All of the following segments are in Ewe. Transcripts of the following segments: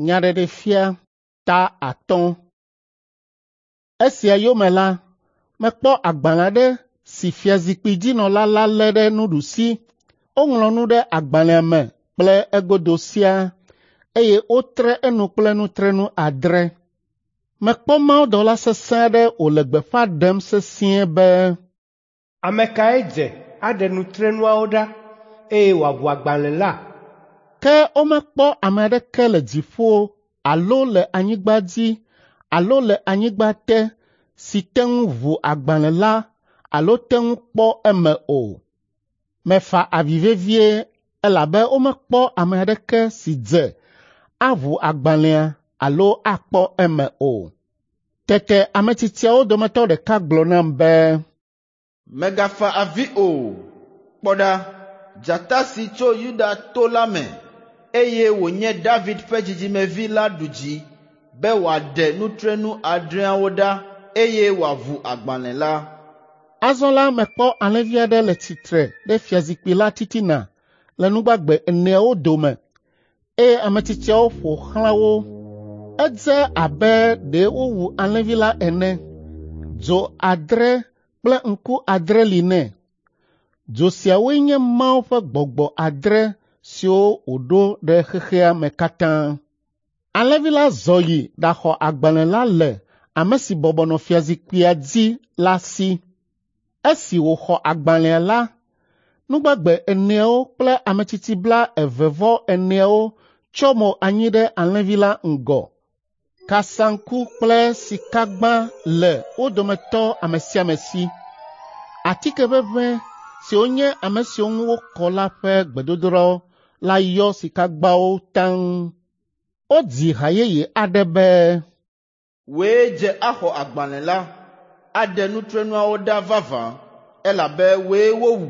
Nyaɖeɖefia ta 5. Esia yome la, mekpɔ agbalẽ aɖe si fiazikpuidzinɔla la lé ɖe nuɖusi. Woŋlɔ nu ɖe agbalẽa me kple egodo siaa, eye wotre enu kple nutrenu 7. Mekpɔ mawudɔla sesẽ aɖe wòle gbeƒã ɖem sesĩe be, “Ame kae dze aɖe nutrenuawo ɖa, eye wòaʋu agbalẽ la?” Ke womekpɔ ame aɖeke le dziƒo alo le anyigba dzi alo le anyigba te si te ŋu ʋu agbalẽ la alo te ŋu kpɔ eme o. Mefa avi vevie elabe womekpɔ ame aɖeke si dze aʋu agbalẽa alo akpɔ eme o. Tete ame tsitsiawo dometɔ ɖeka gblɔ nam be, “Mègafa avi o. Kpɔ ɖa, dzata si tso Yuda to la me, eye wònye David ƒe dzidzimevi la ɖu dzi be wòaɖe nutrenu 7 ɖa eye wòaʋu agbalẽ la.” Azɔ la mekpɔ alẽvi aɖe le tsitre ɖe fiazikpui la titina le nugbagbe 4 dome, eye ame tsitsiawo ƒo xlã wo. Edze abe ɖe wowu alẽvi la ene. Dzo 7 kple ŋku 7 li nɛ. Dzo siawoe nye Mawu ƒe gbɔgbɔ 7 siwo wòɖo ɖe xexea me katã. Alẽvi la zɔ yi ɖaxɔ agbalẽ la le ame si bɔbɔ nɔ fiazikpuia dzi la si. Esi wòxɔ agbalẽa la, nugbagbe 4 kple ame tsitsi 24 tsyɔ mo anyi ɖe alẽvi la ŋgɔ. Kasaŋku kple sikagba le wo dometɔ ame sia ame si. Atike ʋeʋẽ siwo nye ame siwo ŋu wokɔ la ƒe gbedodoɖawo la yɔ sikagbawo taŋ. Wodzi ha yeye aɖe be, “Wòe dze axɔ agbalẽ la, aɖe nutrenuawo ɖa vavã, elabe wòe wowu,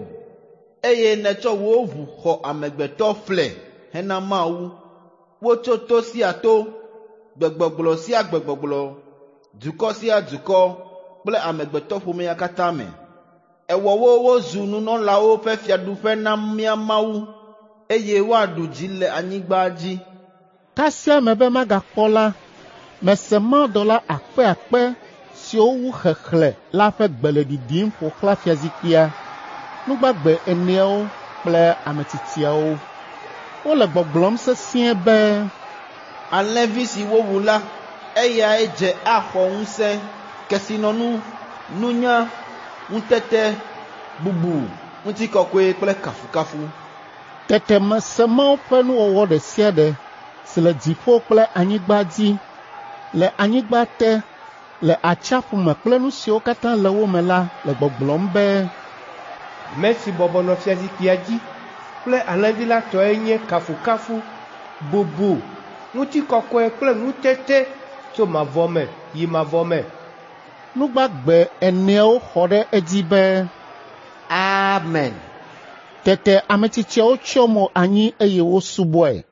eye nètsɔ wò ʋu xɔ amegbetɔ ƒle hena Mawu. Wotso to sia to, gbegbɔgblɔ sia gbegbɔgblɔ, dukɔ sia dukɔ kple amegbetɔƒomea katã me. Èwɔ wo wozu nunɔlawo ƒe fiaɖuƒe na mía Mawu, eye woaɖu dzi le anyigba dzi.” Kasia mebe magakpɔ la, mese mawudɔla akpeakpe siwo wu xexlẽ la ƒe gbe le ɖiɖim ƒo xlã fiazikpuia, nugbagbe 4 kple ame tsitsiawo. Wole gbɔgblɔm sesĩe be, “Alẽvi si wowu la, eyae dze axɔ ŋusẽ, kesinɔnu, nunya, ŋutete, bubu, ŋutikɔkɔe kple kafukafu.” Tete mese Mawu ƒe nuwɔwɔ ɖe sia ɖe si le dziƒo kple anyigba dzi, le anyigba te, le atsiaƒu me kple nu siwo katã le wo me la le gbɔgblɔm be, “Ame si bɔbɔ nɔ fiazikpuia dzi kple alẽvi la tɔe nye kafukafu, bubu, ŋutikɔkɔe kple ŋutete tso mavɔ me yi mavɔ me.” Nugbagbe 4 xɔ ɖe edzi be, “Amen.” Tete ame tsitsiawo tsyɔ mo anyi eye wosubɔe.